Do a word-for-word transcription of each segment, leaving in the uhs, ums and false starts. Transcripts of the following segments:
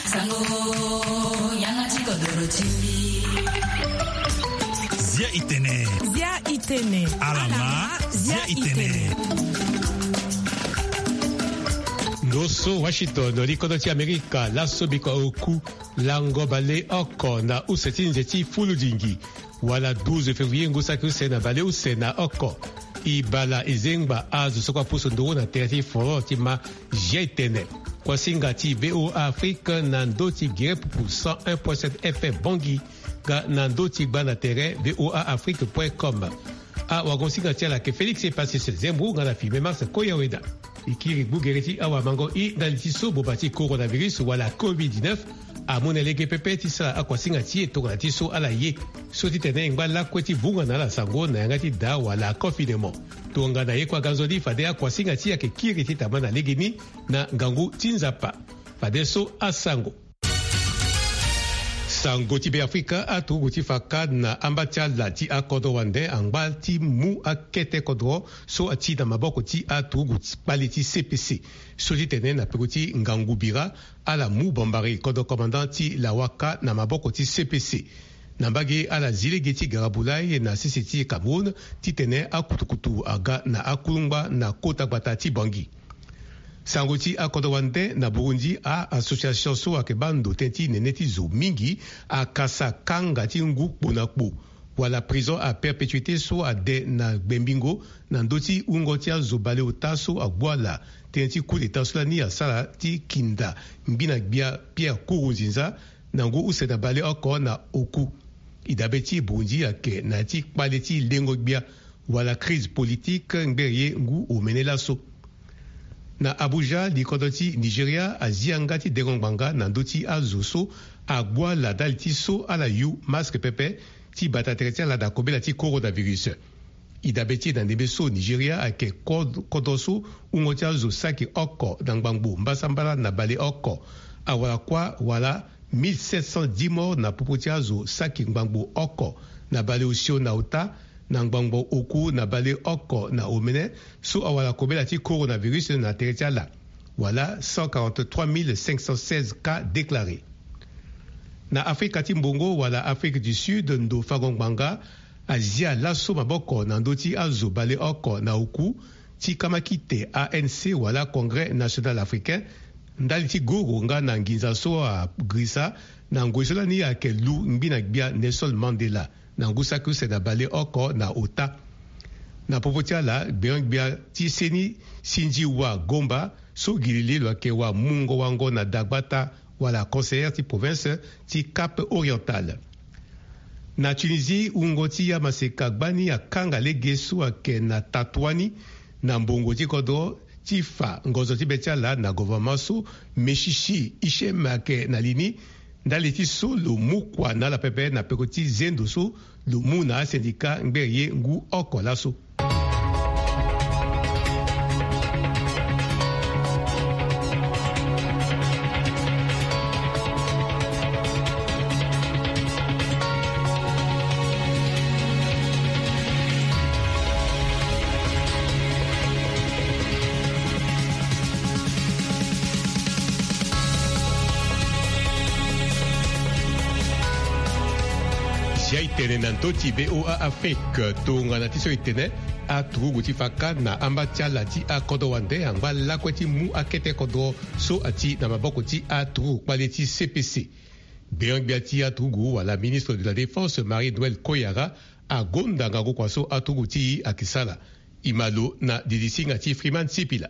Sango, yanga ti kodoro ti mbi. Zia itene. Zia itene. Alama, zia itene. Ndo so Washington, li kodro ti Amerika, laso biko oku lango baleoko na use ti nze ti fuludingi. Wala douze février ngu saki use na baleuse na oko. E bala e zengba azo so kue apusu nduru na tere ti foro ti ma zia itene. Kuasinga ti VOA Afrique na ndö ti gere pupu cent un point sept F M Bangui, nga na ndö ti gba na tere VOA Afrique point com. Awagosinga ti ala ayeke Félix Epasis Zembrou nga na filme Mars Koyaweda. E kiri gbugere ti awamango i ndali ti so boba ti coronavirus wala covid dix-neuf amu na lege pepe ti sara akuasinga ti e tongana ti so ala ye. So titene e ngba lakue ti vunga na ala sango na yanga ti daa wala confinement. Tongana ye kue aga nzoni fade akuasinga ti e ayeke kiri ti tama na legeni na ngangu ti Nzapa. Fadeso asango. Sango ti Beafrika, aturugu ti fa ka na amba ti ala ti akodro wande angba ti mu akete kodro so ati na maboko ti aturugu ti kpale ti C P C. So titene na peko ti ngangu bira, ala mu bambari kodro commandant ti Lawaka na maboko ti C P C. Na mbage ala zi lege ti gara bulai na sese ti Cameroun titene akutukutu aga na akulungba na kota gbata ti Bangui. Sango ti akodro wande na Burundi, a-association so ayeke baa ndo tënë ti nene ti zo mingi akasa kanga ti ngu kpo na kpo wala prison à perpétuité so ade na gbembingo na ndö ti wungo ti azo baleota so agbu ala tënë ti coup d'état so lani asara ti kinda ngbi na gbia Pierre Nkurunziza na ngu use na baleoko na oku. E dabe ti Burundi ayeke na ya ti kpale ti lengo gbia wala crise politique ngbere ye ngu omene laso. Na Abuja, likodro ti Nigeria azi yanga ti dengo ngbanga na ndö ti azo so agbu ala ndali ti so ala yu masque pepe ti bata tere ti ala na kobela ti coronavirus. E dabe ti e na ndembe so Nigeria ayeke kod-, kodro so wungo ti azo saki oko na ngbangbo mbasambala na baleoko. Awara kuâ wala mille sept cent dix morts na popo ti azo saki ngbangbo oko na baleosio na ota, na ngbangbo oku na baleoko na omene, so awara kobela ti coronavirus na tere ti ala, wala cent quarante-trois mille cinq cent seize cas déclarés. Na Afrika ti mbongo wala Afrique du Sud, ndo fango ngbanga azia laso maboko na ndö ti azo baleoko na oku ti kamakite A N C wala Congrès National Africain, ndali ti goro nga na nginza so agirisa na ngoi so lani ayeke lu ngbi na gbia Nelson Mandela na ngu saki use na baleoko na ota. Na popo ti ala, gbenyo-gbia ti seni Sindji Wa Gomba, so gi lili lo yeke wa mungo wango na dagbata wala conseillère ti province ti Cap Oriental. Na Tunisie, wungo ti amaseka gbani akanga lege so ayeke na Tatouani na mbongo ti kodro ti fa ngonzo ti be ti ala na gouvernement so Meshishi Hichem ayeke na li ni, ndali ti so lo mu kua na ala pepe na peko ti zendo so lo mu na asendika ngbere ye ngu oko laso. Zia itene na ndö ti VOA Afrique, tongana ti so itene, aturugu ti fa ka na amba ti ala ti akodro wande angba lakue ti mu akete kodro so ati na maboko ti aturugu kpale ti C P C. Gbenyo-gbia ti aturugu wala ministre de la Défense Marie-Noëlle Koyara agonda ngangu kua so aturugu ti e ayeke sara. E ma lo na didi singa ti Freeman Sipila.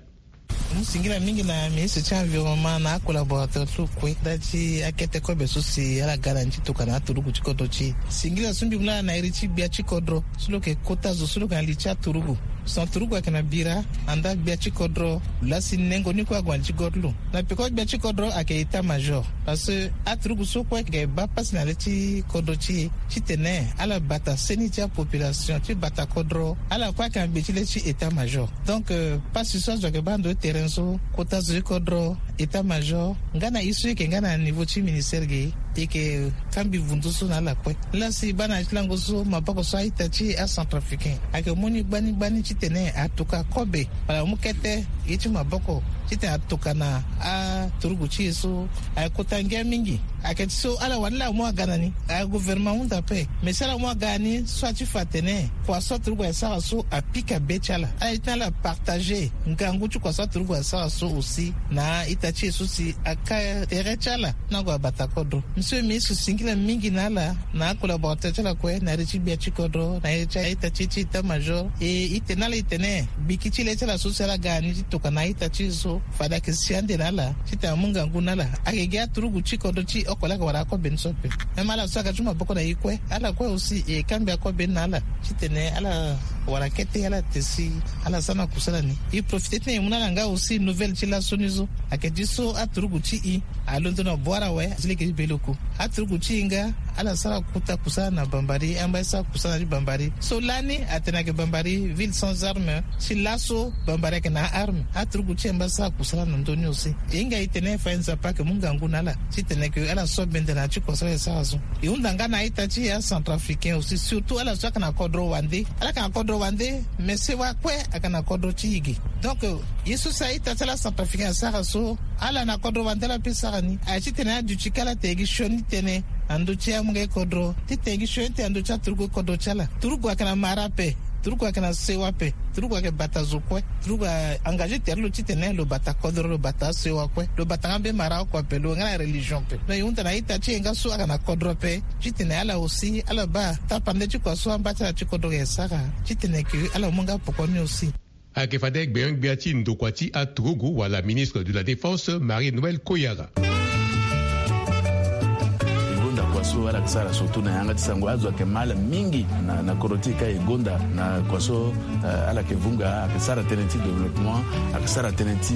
Mu singila mingi na ministre ti environnement na acollaborateur ti lo kue ndali ti akete kobe so si ala ga na ni ti tokua na aturugu ti kodro ti e. Singila so mbi mu laa na iri ti gbia ti kodro so lo yeke kota zo so lo yeke na li ti aturugu. Son turugu ayeke na bira, andaa gbia ti kodro, lo laa si nengo ni kue ague na li ti kodro ti lo. Na peko gbia ti kodro ayeke état major. Parce que aturugu so kue ayeke baa pasi na le ti kodro ti e, titene ala bata seni ti apopulation, ti bata kodro, ala kue ayeke na gbe ti le ti état major. Donc, euh, pasi so azo ayeke baa ndo ti terrain so, kota zo ti kodro, état major nga na ye so eke nga na niveau ti ministère ge, eke kambi vundu so na ala kue. Lasi baa na ya ti lango so maboko so a-ita ti acentrafricain ayeke mu ni gbani gbani titene atuka kobe wala amu kete ye ti maboko titene atuka na aturugu ti e so. Ayeke kota ngia mingi. Ayeke ti so ala wani laa amu aga na ni, agouvernement ahunda ape. Mais si ala mu aga na ni so ati fa atene kua so aturugu ayeke sara so apika be ti ala, ala ye ti na ala partage ngangu ti kua so aturugu ayeke sara so aussi na a-ita ti e so si aka tere ti ala na ague abata kodro. Monsieur ministre singila mingi na ala na acollaborateur ti ala kue na iri ti gbia ti kodro na iri ti a-ita ti e ti état major. E, e tene na ala e tene gbiki ti le ti ala so si ala ga na ni ti tokua na a-ita ti e so fade ayeke si ande na ala titene amu ngangu na ala. Ayeke gi aturugu ti kodro ti oko laa ayeke wara akobe ni so ape. Même ala so aga ti maboko na e kue, ala kue aussi e kambia kobe ni na ala titene ala wara kete ala te si ala sara na kusala ni. E profite titene e mu na ala nga aussi nouvelle ti laso ni so. Ayeke ti so aturugu ti e alondo na boire awe ti lege ti beloko. Aturugu ti e nga ala sara kota kusala na Bambari, amba e sara kusala na ti Bambari. So lani atene ayeke Bambari ville sans arme, si laso Bambari ayeke na arme. Aturugu ti e amba e sara kusala na ndö ni aussi. E hinga e tene fa e Nzapa ayeke mu ngangu na ala titene ke ala so bende na ya ti kua so ala yeke sara so. E hunda nga na a-ita ti e acentrafricain aussi, surtout ala so ayeke na kodro wande. Ala yeke na kodro wande, mais sewa kue ayeke na kodro ti e ge. Donc ye so si a-ita ti ala acentrafricain asara so, ala na kodro wande ala pe sara ni. Aye titene aduti ka ala tene gi sioni tënë na ndö ti amolenge kodro, titene gi sioni tënë na ndö ti aturugu kodro ti ala. Turugu ayeke na mara ape, turugu ayeke na sewa ape, turugu ayeke bata zo kue. Turugu a-engagé tere lo titene lo bata kodro, lo bata asewa kue, lo bata nga mbeni mara oko ape, lo nga na religion ape. Donc e hunda na a-ita ti e nga so ayeke na kodro ape titene ala aussi ala baa tapande ti kua so amba ti ala ti kodro ayeke sara titene ke ala mu nga poko ni aussi. Ayeke fade gbenyo-gbia ti ndokua ti aturugu wala ministre de la défense, Marie Noël Koyara. E gonda kua so ala yeke sara surtout na yanga ti sango, azo ayeke mal mingi na, na kodro ti e ka e gonda na kua so, eh, ala yeke vunga, ayeke sara tënë ti développement, ayeke sara tënë ti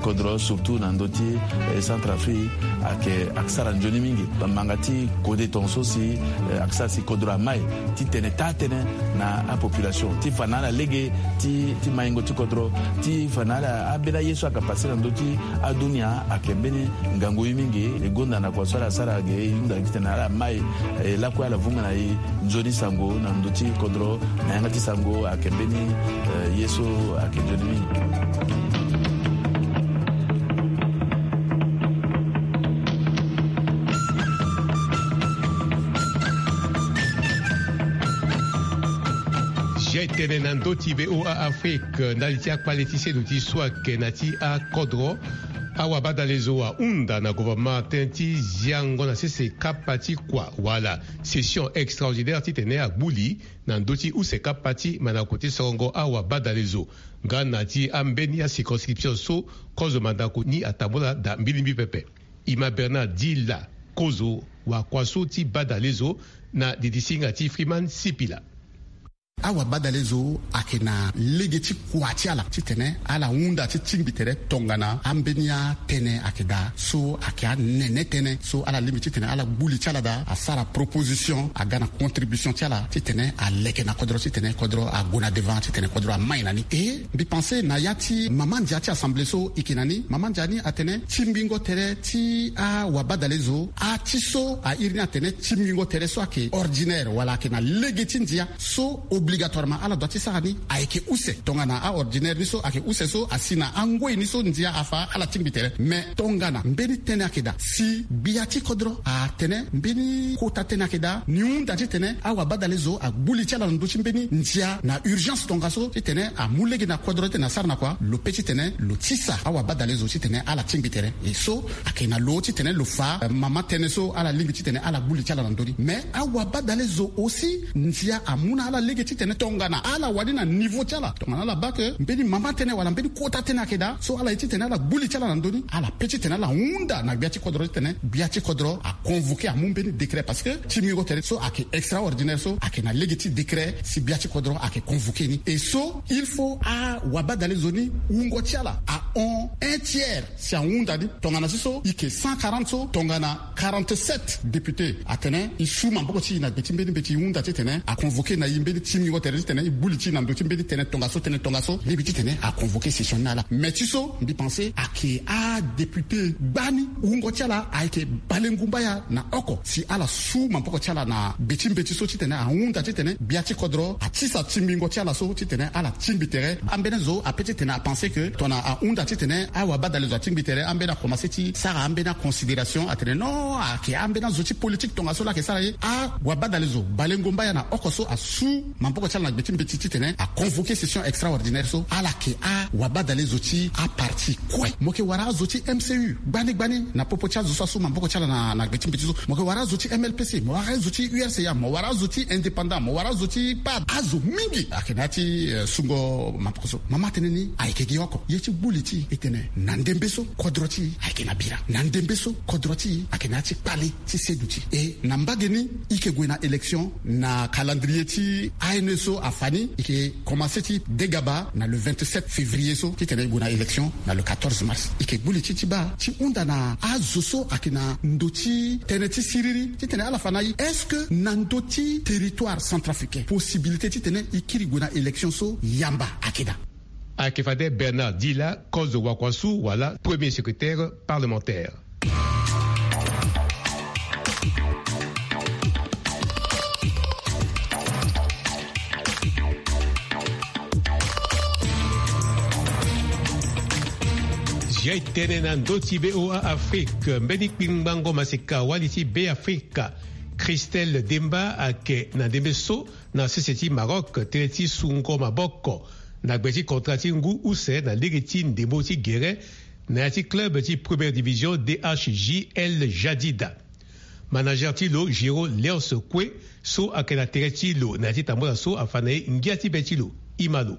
kodro surtout na ndö ti, eh, Centrafrique, ayeke, ayeke sara nzoni mingi. Bamanga ti kode tongaso si, eh, ayeke sara si kodro amai titene taa tënë na apopulation ti fa na ala lege ti, ti maingo ti kodro, ti fa na ala ambeni aye so ayeke pase na ndö ti adunia ayeke mbeni ngangu ye mingi. E gonda na kua so ala sara ge, e hunda titene ala mai, eh, lakue ala vunga na e nzoni sango na ndö ti kodro na yanga ti sango ayeke mbeni, eh, ye so ayeke nzoni mingi. Zia e tene na ndö ti V O A Afrique, ndali ti akpale ti seno ti so ayeke na ti akodro. Awabadalezo ahunda na gouvernement tënë ti ziango na sese kapa ti kua wala session extraordinaire titene agbuli na ndö ti use kapa ti mandako ti sorongo awabadalezo nga na ti ambeni acirconscription so kozo mandako ni atambula daa mbilimbi pepe. Ima Bernard Dila, kozo wakua so ti badalezo na didi singa ti Freeman Sipila. Awabadalezo ayeke na lege ti kua ti ala titene ala hunda ti tingbi tere tongana ambeni atënë ayeke daa so ayeke anene tënë so ala lingbi titene ala gbu li ti ala daa asara proposition aga na contribution ti ala titene aleke na kodro titene kodro ague na devant titene kodro amai na ni. E mbi pense na ya ti mama ndia ti assemblée so e yeke na ni, mama ndia ni atene tingbingo tere ti awabadalezo ati so a iri ni atene tingbingo tere so ayeke ordinaire wala ayeke na lege ti ndia so obligatoirement ala doit ti sara ni ayeke use. Tongana aordinaire ni so ayeke use so asi na angoi ni so ndia afa ala tingbi tere. Mais tongana mbeni tënë ayeke daa si gbia ti kodro atene mbeni kota tënë ayeke daa, ni hunda titene awabadalezo agbu li ti ala na ndö ti mbeni ndia na urgence tongaso titene amu lege na kodro titene asara na kua, lo pe titene lo tisa awabadalezo titene ala tingbi tere. E so ayeke na lo titene lo fa, eh, mama tënë so ala lingbi titene ala gbu li ti ala na ndö ni. Mais awabadalezo aussi ndia amu na ala lege titene tongana ala wani na niveau ti ala, tongana ala baa ke mbeni mama tënë wala mbeni kota tënë ayeke daa so ala ye titene ala gbu li ti ala na ndö ni, ala pe titene ala hunda na gbia ti kodro titene gbia ti kodro aconvoqué amu mbeni décret, parce que tingbingo tere so ayeke extraordinaire so ayeke na lege ti décret si gbia ti kodro ayeke convoqué ni. E so il faut awabadalezo ni wungo ti ala a hon un tiers si ahunda ni. Tongana si so e yeke cent quarante so, tongana quarante-sept député atene e su maboko ti e na gbe ti mbeni mbeti, e hunda titene aconvoqué na e mbeni tingbingo tere titene e gbu li ti e na ndö ti mbeni tënë tongaso, tënë tongaso, lingbi titene aconvoqué session ni na ala. Mais ti so mbi pensé ayeke adéputé gbani wungo ti ala ayeke Balengumba ya na oko si ala su maboko ti ala na gbe ti mbeti so titene ahunda titene gbia ti kodro atisa tingbingo ti ala so titene ala tingbi tere. Ambeni azo ape titene apensé que tongana ahunda titene awabadale zo atingbi tere, ambeni akomansé ti sara ambeni aconsidération atene non, ayeke ambeni azo ti politique tongaso laa ayeke sara ye. Awabadale zo Balengumba ya na oko so asu maboko ti ala na gbe ti mbeti titene aconvoqué session extraordinaire so, ala yeke awabadale zo ti aparti kue. Mo yeke wara azo ti M C U gbani gbani na popo ti azo so asu maboko ti ala na, na gbe ti mbeti so. Mo yeke wara azo ti M L P C, mo wara azo ti U R C A, mo wara azo ti indépendant, mo wara azo ti pad. Azo mingi ayeke na ya ti, eh, sungo maboko so. Mama atene ni ayeke gi oko. Ye ti gbu li ti e tene na ndembe so kodro ti e ayeke na bira. Na ndembe so kodro ti e ayeke na ya ti kpale ti seduti. E na mbage ni e yeke gue na élection na calendrier ti A N E so afa ni, e yeke komanse ti degaba na le vingt-sept février so titene e gue na élection na le quatorze mars. E yeke gbu li ti e ti baa ti hunda na azo so ayeke na ndo ti tënë ti siriri titene ala fa na e. Est-ce que na ndo ti territoire centrafricain possibilité titene e kiri gue na élection so yamba ayeke daa? Ayeke fade Bernard Dila, kozo wakua su wala premier secrétaire parlementaire. Zia e tene na ndö ti V O A Afrique, mbeni kpingbango maseka wali ti Beafrika, Christelle Demba, ayeke na ndembe so na sese ti Maroc tënë ti sungo maboko na gbe ti contrat ti ngu use na lege ti ndembo ti gere na ya ti club ti première division D H J L Jadida. Manager ti lo, Géraud Léonce Koué, so ayeke na tere ti lo na ya ti tambula so afa na e ngia ti be ti lo. Ima lo.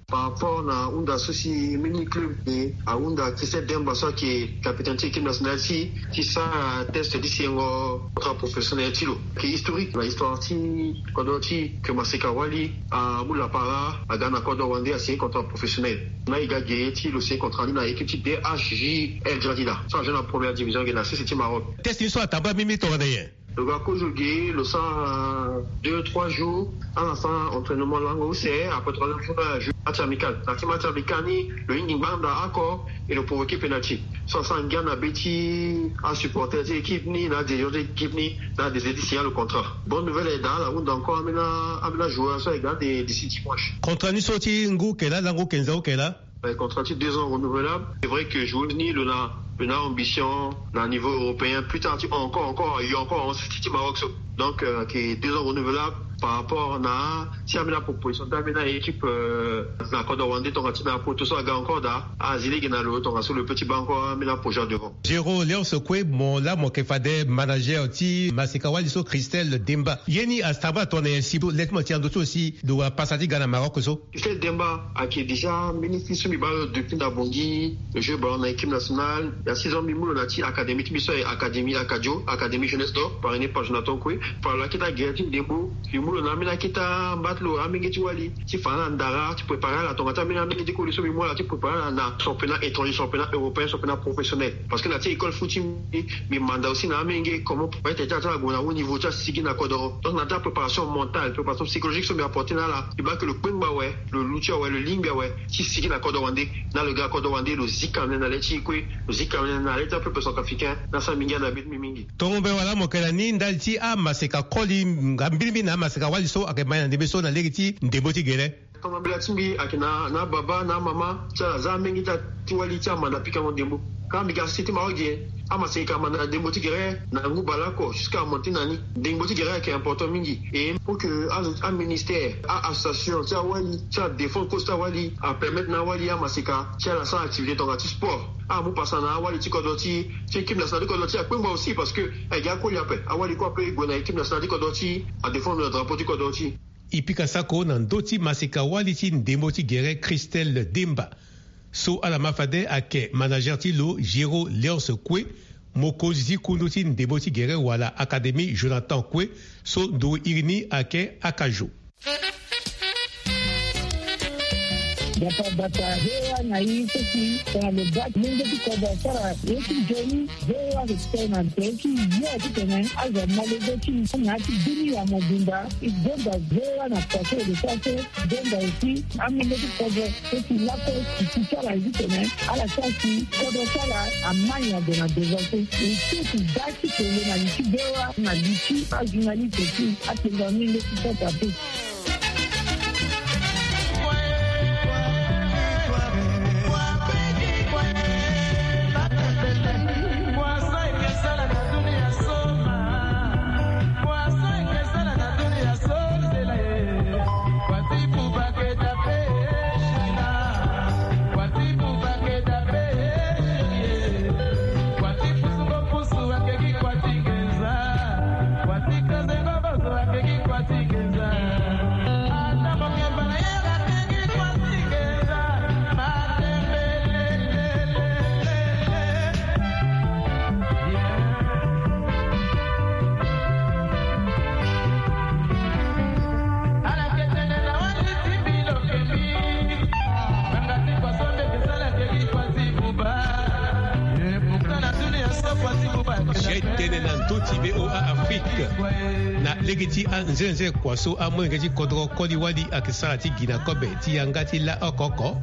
Par rapport na hunda so si mbeni club ni ahunda Christelle Demba so ayeke capitaine ti équipe nationale ti e, ti sara test ti sigingo contrat professionnel ti lo. Ayeke historique na histoire ti kodro ti e ke maseka wali amu lapara aga na kodro wande asigné contrat professionnel. Na e ga ge ti lo signé contrat ni na équipe ti D H J L Jadida so ajoue na première division ge na sese ti Maroc. Test ni so atambula mimbi tongana nyen? Lo ga kozo ge, lo sara deux trois jours, ala sara entraînement lango use, après troisième jour na ajoue match amical. Na ti match amical ni lo hingi ngbanda oko et lo provoqué penalty. So asara ngia na be ti asupporter ti équipe ni na adirigeant ti équipe ni, na adirigeant ti signa lo contrat. Bonne nouvelle ayeke daa, ala hunda encore ambeni, ambeni ajoueur so ayeke daa d'ici dimanche. Contrat ni so ti ngu oke laa, lango okenza oke laa? Eh, contrat ti deux ans renouvelable. C'est vrai que joueuse ni lo na, lo na ambition na niveau européen. Plus tard ti encore, encore, il y a encore en City ti Maroc so. Donc, euh, ayeke deux ans renouvelable par rapport na si ambeni proposition ti ambeni équipe, euh, na kodro wande tonga ti na poto so aga encore daa. Azi lege na lo tongaso lo peut ti baa encore ambeni projet devant. Géraud Léonce Koué, mo laa mo yeke fade manager ti maseka wali so Christelle Demba. Ye ni atambula tongana nyen si lo le ti mo ti na ndö ti lo si lo wara pasa ti ga na Maroc so? Christelle Demba ayeke déjà mbeni fils so mbi baa lo depuis na Bangui, lo joue ballon na équipe nationale. Il y a six ans mbi mu lo na ya ti académie ti mbi so ayeke académie Akadio, académie jeunesse d'or, parrainé par Jonathan Koué. Fa lo akita gere ti ndembo, mbi mu lo na ambeni akita mba ti lo amenge ti wali ti fa na ndara ti préparer ala tonga ti ambeni amenge ti koli so mbi mu ala ti préparer ala na championnat étranger, championnat européen, championnat professionnel. Parce que na ya ti école foot ti mbi, mbi manda aussi na amenge comment pourrait ti ala ti ala gue na haut niveau ti asigi na kodro. Donc na ya ti apréparation mentale, préparation psychologique so mbi apporté na ala, mbi baa ke lo kpengba awe, lo luti awe, lo lingbi awe ti sigi na kodro wande. Na lo ga na kodro wande lo zi kamene na le ti e kue, lo zi kamene na le ti apeuple centrafricain. Na asara mbi ngia na be ti mbi mingi. Tongo mbe wala mo yeke na ni ndali ti amaseka koli nga mbirimbiri na amaseka wali so ayeke ma na ndembe so na lege ti ndembo ti gere? Tongana mbela ti mbi ayeke na, na ababa na amama ti ala za amenge ti, ti wali ti amanda pikango ndembo. Ka mbi ga sese ti Maroc ge, amaseka amanda ndembo ti gere na ngu baleoko jusqu'à amonté na ni. Ndembo ti gere ayeke important mingi. Et pour que azo, aministère, a-association ti awali ti adéfendre cause ti awali apermettre na awali amaseka ti ala sara activité tonga ti sport. Amu pasa na awali ti kodro ti, ti équipe nationale ti kodro ti akpengba aussi parce que ayeke akoli ape. Awali kue ape e gue na équipe nationale ti kodro ti adéfendre na drapeau ti kodro ti. E pika sako na ndö ti maseka wali ti ndembo ti gere Christelle Demba. So ala ma fade ayeke manager ti lo Géraud Léonce Koué, mokonzi ti kundu ti ndembo ti gere wala académie Jonathan Koué, so ndo iri ni ayeke Akajo. Yaka bata V O A na i so si tongana lo baa ti lenge ti kodro asara ye ti nzoni. V O A ayeke tene na tere ti yo titene azo amolenge ti na ya ti bini ya mobimba. E gonda V O A na kua so e lo sara so. Gonda aussi amolenge ti kodro so si lakue si ti sara ye titene ala sara si kodro ti ala amani ado na devant so. E so si da ti tene na li ti V O A na li ti ajournaliste ti atene na mbi nde ti sota pe. Tene na ndö ti V O A Afrique. Na lege ti anzenze kua so amolenge ti kodro koli wali ayeke sara ti gi na kobe ti yanga ti la oko oko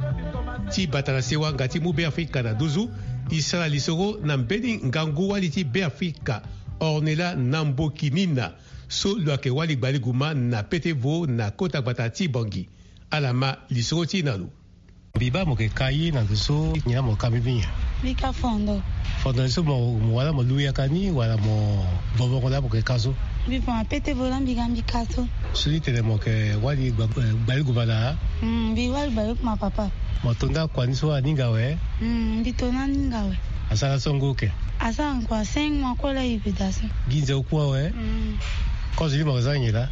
ti bata na sewa nga ti mu Beafrika na nduzu. E sara lisoro na mbeni ngangu wali ti Beafrika, Ornella Nambokinina, so lo yeke wali gbaliguma na pete vo na kota gbata ti Bangui. Ala ma lisoro ti e na lo. Mbi baa mo yeke ka ye na ndo so nyen la mo ka mbi nyen? Mbi ka fondo. Fondo ni so mo, mo wala mo lu yaka ni wala mo vongongo la mo yeke ka so? Mbi vongo pete vo la mbi ga mbi ka so. So ti tene mo yeke wali gba-, eh, gbaliguma na? Mm, mbi wali gbaliguma papa. Mo to nda kua ni so aninga awe? Mm, mbi to na aninga awe. Asara so ngu oke? Asara ngu a cinq mois kue la e yeke daa so. Gi nze oku awe? Mm. Kozo ni mo yeke za nyen la?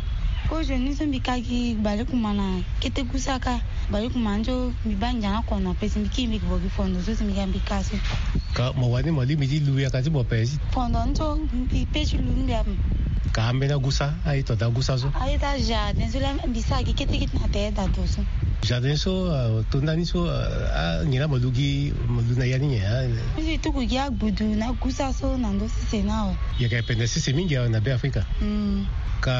Kozo ni so mbi ka gi gbaliguma na kete gusa kâ. Gbaliguma ni so mbi baa ngia na kono ape si mbi kiri mbi yeke vo gi fondo so si mbi ga mbi ka so. Ka mo wani mo lingbi ti lu yaka ti mo ape si? Fondo ni so mbi pe ti lu ni mbi ape. Ka ambeni agusa, aye to daa gusa so? Aye daa jardin so la mbi sara gi kete kete na tere daa to so. Jardin so, ah, to ndani so, ah, ah, nyen la mo lu gi, mo lu na ya ni nyen, ah? Mbi tuku gi agbudu na gusa so na ndö sese ni awe. Yeke pende sese mingi awe na Beafrika. Mm. Ka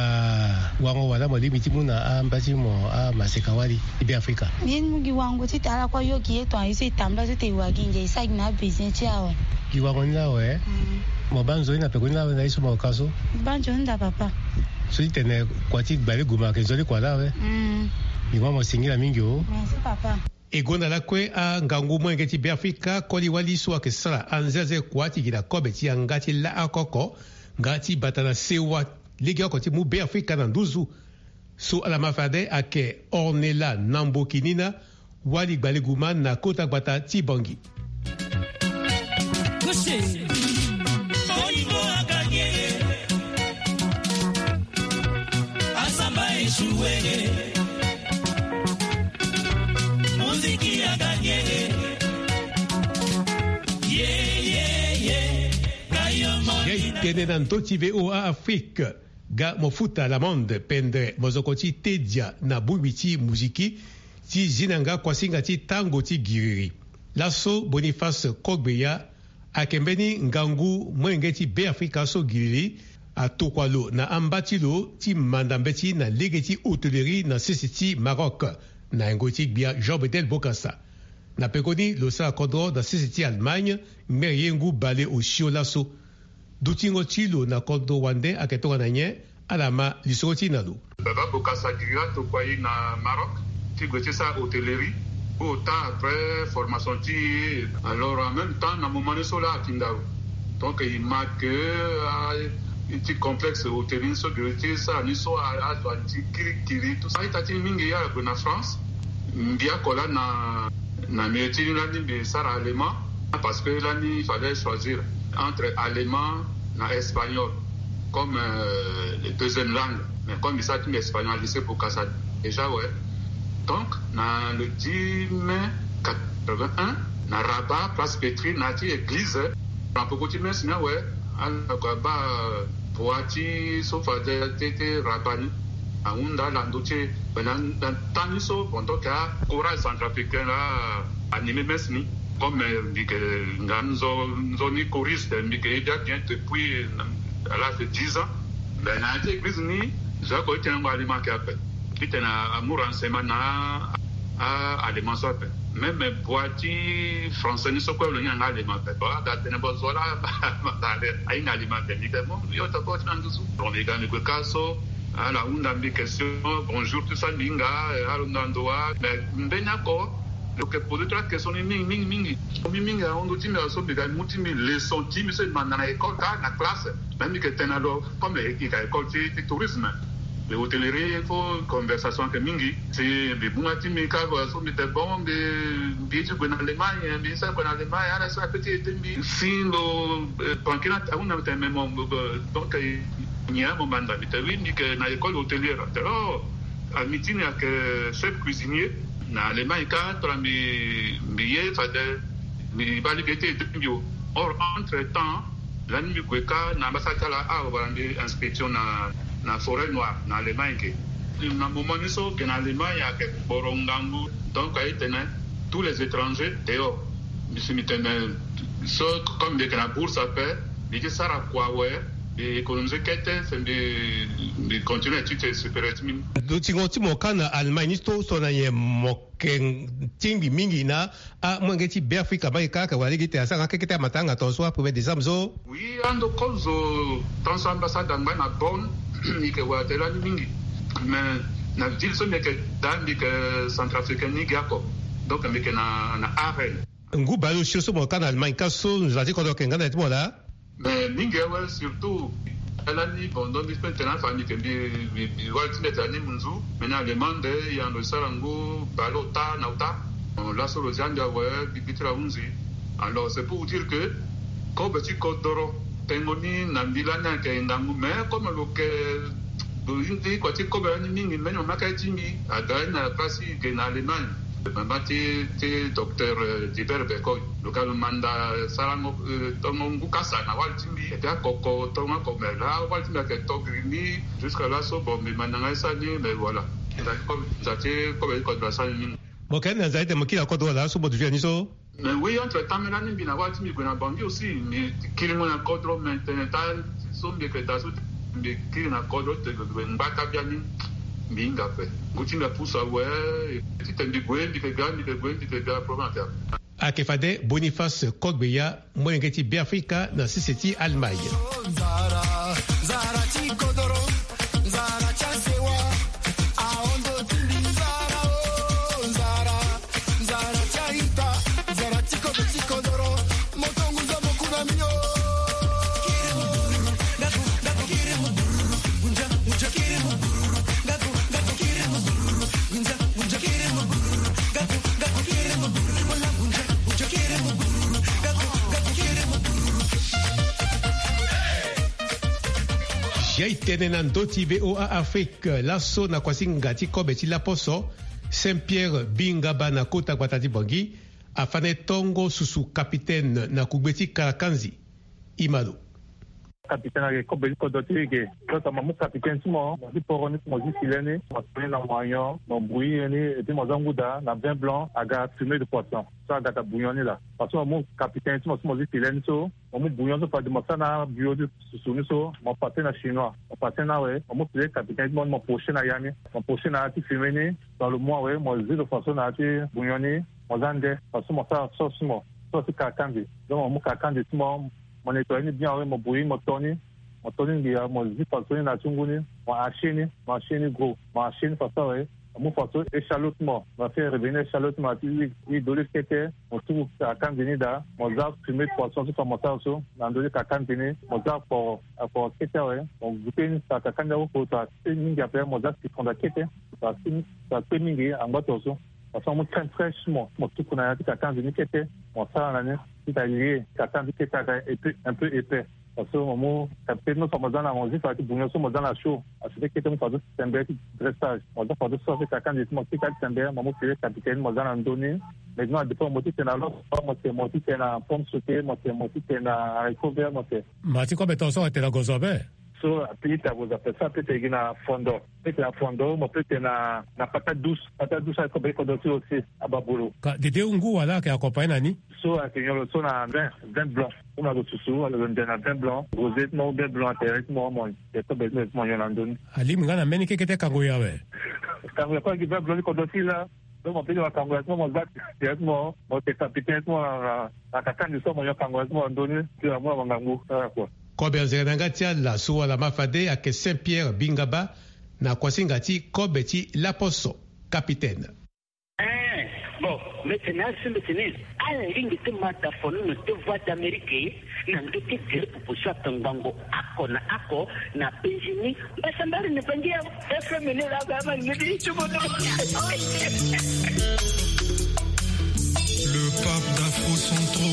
wango wala mo lingbi ti mu na amba ti mo amaseka wali ti Beafrika? Mbi mu gi wango titene ala kue ayo gi ye tongana ye so e tambula so tene e wa gi ngia e sara gi na abesoin ti e awe. Gi wango ni la awe? Mm. Mo baa nzoni na pekoni la awe na ye so mo ka so? Mbi baa nzoni daa papa. So ti tene kua ti gbaliguma ayeke nzoni kua la awe? Mm. Mbi ma mo singila mingi o. Merci papa. E gonda lakue angangu molenge ti Beafrika koli wali so ayeke sara anzenze kua ti gi na kobe ti yanga ti la oko oko nga ti bata na sewa legeoko ti mu Beafrika na nduzu. So ala ma fade ayeke Ornella Nambokinina, wali gbaliguma na kota gbata ti Bangui. Ye tene na ndö ti V O A Afrique. Ga mo futa l'amende pendre mozoko ti tedia na bongbi ti muziki ti zi na nga kuasinga ti tango ti giriri. Laso Boniface Kogbeya ayeke mbeni ngangu molenge ti Beafrika so giriri atokua lo na amba ti lo ti manda mbeti na lege ti hôtellerie na sese ti Maroc, na yengo ti gbia Jean Bedel Bokassa. Na pekoni lo sara kodro na sese ti Allemagne, ngmere ye ngu bale osio laso. Dutingo ti lo na kodro wande ayeke tongana nyen? Ala ma lisoro ti e na lo. Baba Bokassa giriri atokua e na Maroc ti gue ti sara hôtellerie. Ota après formation ti e. Alors en même temps na moment ni so la ayeke ndau. Donc e ma ke, ah, ti complexe hôtellerie ni so giriri ti sara ni so, ah, azo ati kirikiri tout ça. A-ita ti mingi ala gue na France. Mbi oko la na, na milieu ti ni lani mbi sara allemand, parce que lani il fallait choisir entre allemand na espagnol comme, euh, les deuxième langue. Mais comme mbi sara ti mbi espagnol na lycée Bokassa déjà, ouais. Donc na le dix mai quatre-vingt-un, na Rabat, place Pétry, na ya ti église, na peko ti messe ni awe, ala gue abaa, euh, bua ti so fade ti, ti Rabat ni. Ahunda ala ndo ti e. Mais na, na temps ni so pendant que acourage centrafricain la anime messe ni, comme mbi yeke nga nzo, nzoni choriste, mbi yeke ye bia bien depuis à l'âge de dix ans. Mais na ya ti église ni, zo oko ti tene ngo allemand ke ape, ti tene amu renseignement na a allemand so ape. Même bua ti français ni so kue lo hinga nga allemand ape. Bon, aga tene bo zo la ahinga allemand ape. Mbi yeke mo yo tako ti na nduzu. Bon, mbi ga mbi gue ka so, ala hunda mbi question, bonjour tout ça, mbi hinga, eh, alo na ndo wa. Mais mbeni oko lo yeke poser trois questions ni mingi mingi mingi. Mingi mingi ahon ndo ti mbi, so mbi ga mbi mu ti mbi leçon ti mbi so mbi manda na école ka na classe. Mais mbi yeke tene na lo comme e yeke école ti, ti tourisme, mbi hôtellerie, il faut conversation ayeke mingi. Si mbi mu nga ti mbi ka, so mbi tene bon, mbi, mbi ye ti gue na Allemagne, mbi ye ti sara kua na Allemagne, ala so ape ti aidé mbi. Si lo, eh, banquier ni ahunda mbi tene mais mo, mo, mo, donc, eh, nyen mo manda? Mbi tene oui, mbi yeke na école hôtelière. Atene oh, ami ti ni ayeke chef cuisinier na Allemagne ka, tongana mbi, mbi ye fade mbi baa lege ti aidé mbi o. Or entre temps lani mbi gue ka na ambassade ti ala, awara mbi inscription na, na Forêt Noire na Allemagne ke. Na moment ni so mbi yeke na Allemagne ayeke kporo ngangu, donc aye tene tous les étrangers dehors. Mbi si mbi tene so comme mbi yeke na bourse ape, mbi ye ti sara kua awe, mbi économiser kete, si mbi, mbi continuer étude supérieure ti mbi ni. Dutingo ti mo ka na Allemagne ni so, so na nyen mo yeke tingbi mingi na amolenge ti Beafrika, amolenge kâ ayeke wara lege ti tene asara nga kekete amatanga tongaso a premier décembre so? Oui, ando kozo tongaso ambassade angba na Bonn, mbi yeke wara tene lani mingi. Mais na ville so mbi yeke daa, mbi yeke centrafricain ni gi oko. Donc mbi yeke na, na Aachen. Ngu baleosio so mo ka na Allemagne ka so, nzoni ti kodro ayeke nga na ya ti mo laa? Mais mingi awe, surtout lani, bon, donc mbi peut tene afa mbi yeke mbi, mbi, mbi wali ti mbi ayeke na ni munzu, mais na Allemagne e yando e sara ngu baleota na ota. Bon, laso lo zia mbi awe, mbi, mbi ti la hunzi. Alors c'est pour vous dire que kobe ti kodoro tengo ni na mbi lani ayeke ngangu, mais comme lo yeke, lo hinzi kua ti kobe lani mingi, mbeni mama kâ ti mbi aga ni na place ti ge na Allemagne. Mama ti, ti docteur, euh, Diber Bekoy. Lo ga lo manda sarango, euh, tongo ngu kasa na wali ti mbi. Et puis akoko tongo oko, mais la wali ti mbi ayeke to giri ni. Jusqu'à laso bon, mbi manda nga ye sara ni, mais voilà. Nza ti kobe, nza ti kobe ti kodro asara ni mingi. Mo yeke na nza ti tene mo kiri na kodro wala so mo duti na ni so? Mais oui, entre temps, mais lani mbi na wali ti mbi gue na Bangui aussi, mbi kiringo na kodro, mais tene ta so mbi yeke daa so, mbi kiri na kodro ti tene mbi ngba taa biani, mbi hinga ape. Ngu ti mbi apusu awe, ti tene mbi gue, mbi yeke ga, mbi yeke gue, mbi yeke ga, problème ayeke ape. Ayeke fade Boniface Kodbeya, molenge ti Beafrika na sese ti Allemagne. Jai tene na ndö ti V O A Afrique, laso na kuasinga ti kobe ti laposo, Saint Pierre Bingaba na kota gbata ti Bangui, afâ na e tongo susu capitaine na kugbe ti Karakanzi. Imalo. Capitaine ayeke kobe ti kodro ti e ge. Donc mo mu capitaine ti mo, mo zi poro ni, mo zi filet ni, mo to ni na moignon, mo bouillir ni, et puis mo za ngu daa na vin blanc, aga fumée de poisson. So aga daa bouillon ni laa. Parce que mo mu capitaine ti mo so mo zi filet ni so, mo mu bouillon so fade mo sara na bio ti susu ni so, mo passer na chinois. Mo passer ni awe, mo mu filet capitaine ti mo ni, mo pocher na ya ni. Mo pocher na ya ti fumée ni. Dans le mois awe, mo zi lo fadeso na ya ti bouillon ni, mo za nde, fadeso mo sara sauce ti mo. Sauce ti kakandi. Donc mo mu kakandi ti mo, mo nettoyer ni bien awe, mo bouillir, mo to ni, mo to ni ngia, mo zi fadeso ni na ya ti ngu ni, mo hacher ni, mo hacher ni gros, mo hacher ni fadeso awe, mo mu fadeso échalote ti mo, mo fait revenir échalote ti mo na ya ti huile, huile d'olive kete, mo tuku kakandi ni daa, mo za fumée de poisson so fa mo sara so na ndö ti kakandi ni, mo za akporo, akporo kete awe, mo goûter ni, sara kakandi awe oko, sara kpe mingi ape, mo za citron daa kete, sara kpe, sara kpe mingi angba tongaso. Parce que mo mu crème fraîche ti mo, mo tuku na ya ti kakandi ni kete, mo sara na ni, ti ta lie kakandi kete aga un peu, un peu épais. Parce que mo mu capitaine ti mo so mo za na, mo zi fade ti bouillon so mo za na chaud. Acheter kete mo mu fadeso ti tembe ti dressage. Mo za fadeso sauce ti kakandi ti mo kete ti tembe, mo mu filet capitaine mo za na ndö ni. Maintenant, dépend mo ti tene na loso, mo tene mo ti tene na pomme sautée, mo tene mo ti tene na haricot vert, mo tene. Ma ti kobe tongaso atene na gozo ape? So ape ita boza pe so ape te gi na fondo. Pe te na fondo mo pe te na na pata douce pata douce akobe kodo ti aussi. Ababulu. Ka dede ngu wala ake accompagné na ni? So ake nyolo so na vin vin blanc. Kuma lo susu wala lo nde na vin blanc rosé ti mo ou vin blanc atere ti mo mo. Te kobe ti mo ti mo nyon na ndoni. Alingbi nga na mbeni keke te kango ya we. Kango ya ko agi vin blanc ni kodo ti la. Donc mo pili makango ya ti mo mo za ti ya ti mo mo te kapite ya ti mo na na na kaka ni so mo yo kango ya ti mo na ndoni ti na mo na mangangu ala kua. Kobe anzere na yanga ti ala so wala ma fade ayeke Saint Pierre Bingaba na kuasinga ti kobe ti laposo. Capitaine. Eh, bon, mbeti ni asi mbeti ni ala lingbi ti ma da fono na te Voix d'Amérique. Na ndö ti gere popo so atongbango ako na ako na penzi ni. Mbasambari ni bangi ya F M ni la ga ma ni di tubo no. Le pape d'Afro Centro.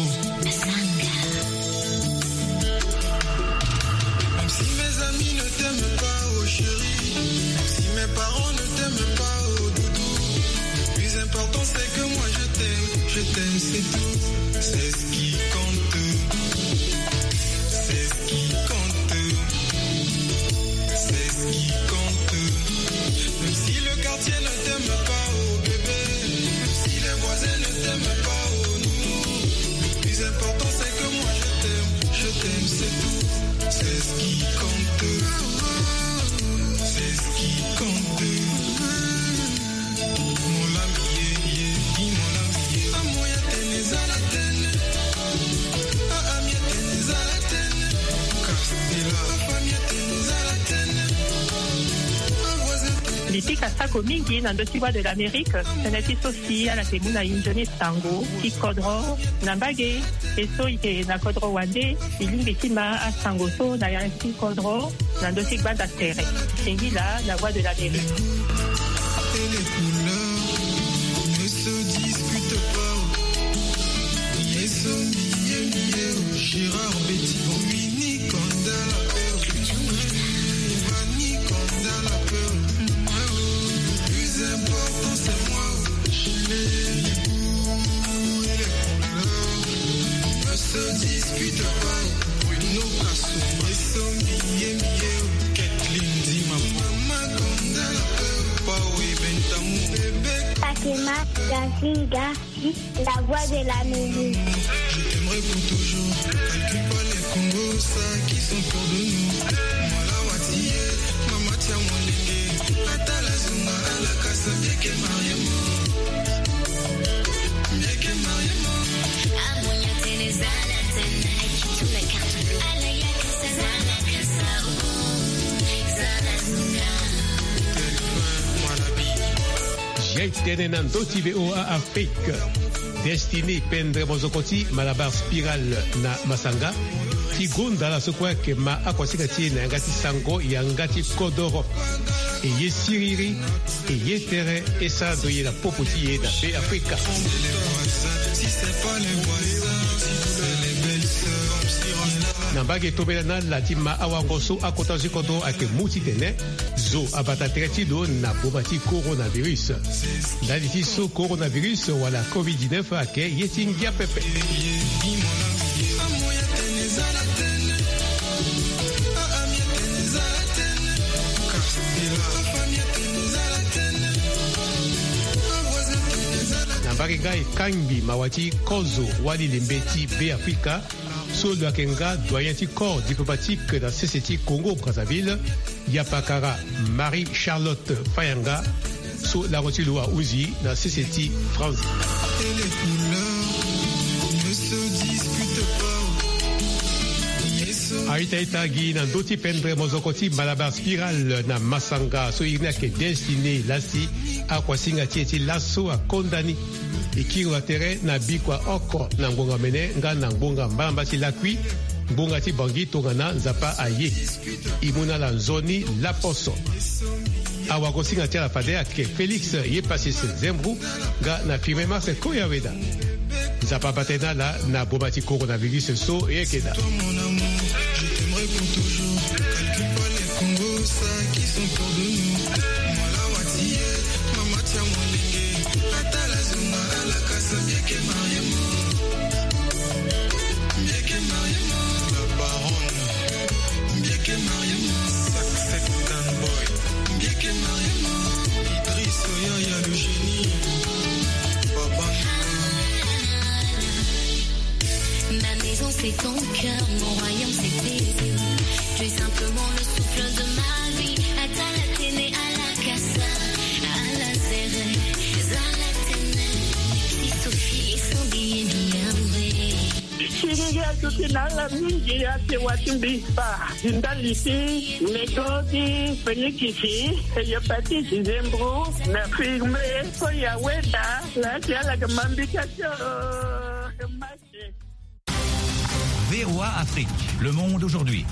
Même si mes amis ne t'aiment pas, oh chérie, même si mes parents ne t'aiment pas, oh doudou, le plus important c'est que moi je t'aime, je t'aime, c'est tout. C'est ce qui compte. C'est ce qui compte. C'est ce qui compte. Même si le quartier ne t'aime pas, oh bébé, même si les voisins ne t'aiment pas, oh nounou, le plus important c'est que moi je t'aime, je t'aime, c'est tout. C'est ce qui compte. C'est ce qui compte. Lipika sako mingi na ndö ti Voix de l'Amérique. Tënë ti so si ala yeke mu na e nzoni sango ti kodro na mbage. E so e yeke na kodro wande e lingbi ti ma asango so na yanga ti kodro na ndö ti gbanda tere. Singila na Voix de l'Amérique. Et les couleurs ne se discutent pas. Yeso miye miye, Gérard Betty, Winnie Kanda la peur, Ivani Kanda la peur. Le plus important c'est moi. Les goûts et les couleurs ne se discutent pas. Bruno Kasumba, Yeso miye miye, Kathleen Dima, Mama Kanda la peur, Pawe Bentamu, bébé. Fatima Gazinga, la voix de la musique. Je t'aimerai pour toujours. Calcule pas les Congo, ça qui sont pour de nous. Moi la watiye, mama tia molenge. Atala zuma alakasa bieke mariemo. Bieke mariemo. Amonya tenezala tena. Qui tourne la carte bleue. Ala yakasa zala kasa. Zala zuma. Jai tene na ndö ti V O A Afrique. Destiné pendre mozoko ti Malabar Spiral na Masanga ti gonda ala so kue ayeke ma akuasinga ti e na yanga ti sango yanga ti kodoro. E ye siriri, e ye tere, e sara ndo ye na popo ti e na Be Afrika. Na mbage tombela na ala ti ma awango so akota zo ti kodro ayeke mu titene zo abata tere ti lo na boma ti coronavirus. Ndali ti so coronavirus wala covid dix-neuf ayeke ye ti ngia pepe. Na mbage nga e kangbi mawa ti kozo wali lembe ti Be Afrika. So lo yeke nga doyen ti corps diplomatique na sese ti Congo Brazzaville, Yapakara Marie Charlotte Fayanga, so lango ti lo ahunzi na sese ti France. A-ita-ita gi na ndö ti pendre mozoko ti Malabar Spiral na Masanga so iri ni ayeke Destiné Lassi, akuasinga ti e ti laso akonda ni. E kiri wa tere na bikua oko na ngbonga mene nga na ngbonga mbalamba ti lakui, ngbonga ti Bangui tongana Nzapa aye. E mu na ala nzoni laposo. Awagosinga ti ala fade ayeke Félix Yepasis Zembru nga na Firmin Marcel Koyaweda. Nzapa abata e na ala na boma ti coronavirus so e yeke daa. Tu es simplement le souffle de ma vie. Ata la tene ala kasa, ala zere, za la tene. Si Sophie et son billet bien vrai. Siri ya tuti na ala mingi ya te wati mbi pa. Ndali ti, nego ti, penikisi, hepatite, zembro, na firme, ko ya weda, la ti ala ga mambi ka tio. V O A Afrique, le monde aujourd'hui.